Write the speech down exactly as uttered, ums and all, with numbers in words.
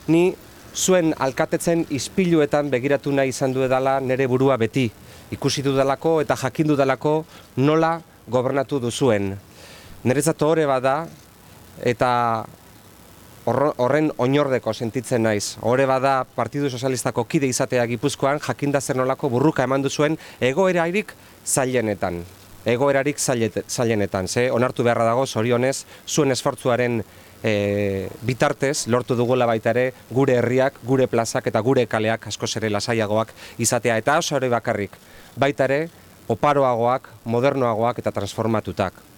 ni zuen alkatetzen ispiluetan begiratu nahi izan duedala nere burua beti. Ikusi dudalako eta jakin dudalako nola gobernatu duzuen. Niretzat hori bada eta horren oinordeko sentitzen naiz. Hore bada Partidu Sozialistako kide izatea Gipuzkoan jakinda zer nolako burruka eman duzuen egoerarik zailenetan. Egoerarik zailenetan. Ze onartu beharra dago zorionez zuen esfortzuaren e, bitartez lortu dugula baita ere gure herriak, gure plazak eta gure kaleak askoz ere lasaiagoak izatea. Eta oso hori bakarrik baita ere oparoagoak, modernoagoak eta transformatutak.